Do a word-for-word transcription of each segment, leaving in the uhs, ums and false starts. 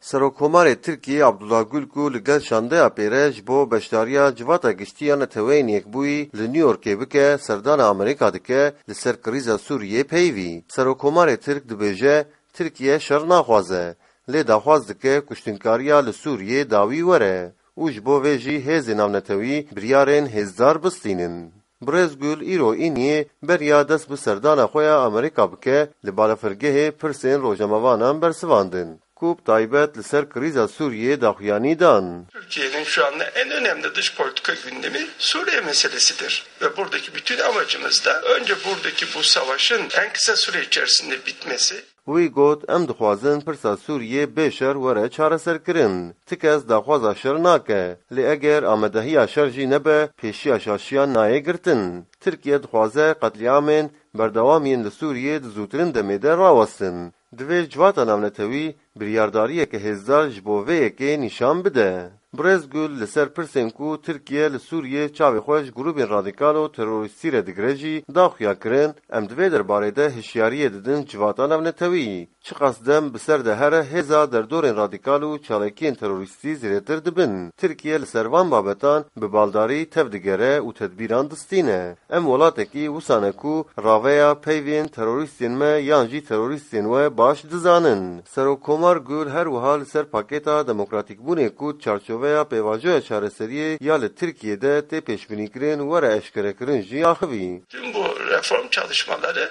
Serokkomarê Tirkiyê Abdullah Gül ku li gel şandeya pêre ji bo beşdariya Civata Giştî ya Neteweyên Yekbûyî li New Yorkê bike, serdana Amerîka dike, li ser krîza Sûriyê peyivî. Serokkomarê Tirk dibêje, Tirkiye şer naxwaze, lê daxwaz dike kuştinkariya li Sûriyê dawî were û ji bo vê jî hêzên navnetewî biryarên hêzdar bistînin. Birêz Gül îro îniyê beriya dest bi serdana xwe ya Amerîka bike, li balafirgehê pirsên rojnamevanan bersivandin, ku bi taybet li ser krîza Sûriyê daxuyanî dan. Türkiye'nin şu anda en önemli dış politika gündemi Suriye meselesidir. Ve buradaki bütün amacımız da önce buradaki bu savaşın en kısa süre içerisinde bitmesi. Wî got, em dixwazin pirsa Sûriyê bê şer were çareserkirin. Ti kes daxwaza şer nake. Lê eger amadehiya şer jî nebe, pêşiya şaşiyan nayê girtin. Tirkiye dixwaze qetlîamên berdewam yên li Sûriyê di zûtirin demê de rawestin. Divê civata navnetewî biryardariyeke hêzdar ji bo vê yekê nîşan bide. Birêz Gül li ser pirsên ku Tirkiye li Sûriyê çavê xwe ji grûbên radîkal û terorîstî re digire jî da xuya kirin, em di vê derbarê de hişyariyê didin civata navnetewî. Çiqas dem bi ser de here, hêza derdorên radîkal û çalakiyên terorîstî zêdetir dibin. Tirkiye li ser van babetan bi baldarî tev digere û tedbîran distîne. Em welatekî wisa ne ku raveya peyvên terorîstên me yan jî terorîstên we baş dizanin. Serokkomar Gül her wiha li ser pakêta demokratîkbûnê ku çarçoveya pêvajoya çareseriyê ya li Tirkiyê de tê pêşbînîkirin were eşkerekirin jî axivî. Tüm bu reform çalışmaları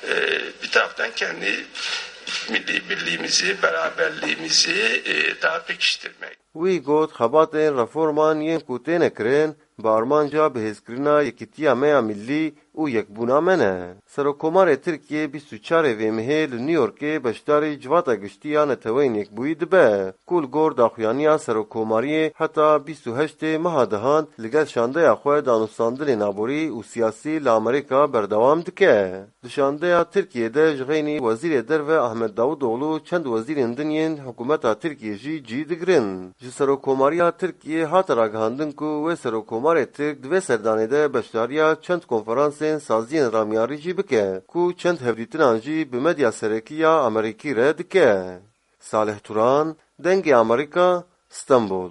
e, bir taraftan kendi milli birliğimizi, beraberliğimizi e, daha pekiştirmek. Wî got, xebatên reforman yên ku têne kirin, bi armanca bihêzkirina yekîtiya me ya millî û yekbûna me ne. Serokkomarê Tirkiyê bîst û çarê vê mehê li New Yorkê beşdarî Civata Giştî ya Neteweyên Yekbûyî dibe, ku li gor daxuyaniya Serokkomariyê heta bîst û heştê meha dehan li gel şandeya xwe danûstandinên aborî û siyasî li Amerîka berdewam dike. Di şandeya Tirkiyê de ji xeynî Wezîrê Derve Ahmet Davutoğlu çend wezîrên din yên hikûmeta Tirkiyê jî cî digirin. Ji Serokkomariya Tirkiyê hate ragihandin ku wê Serokkomarê Tirk di vê serdanê de beşdariya çend konferansên saziyên ramyarî jî bike, ku çend hevdîtinan jî bi medya serekî ya Amerîkî re dike. Salih Turan, Dengê Amerîka, Stenbol.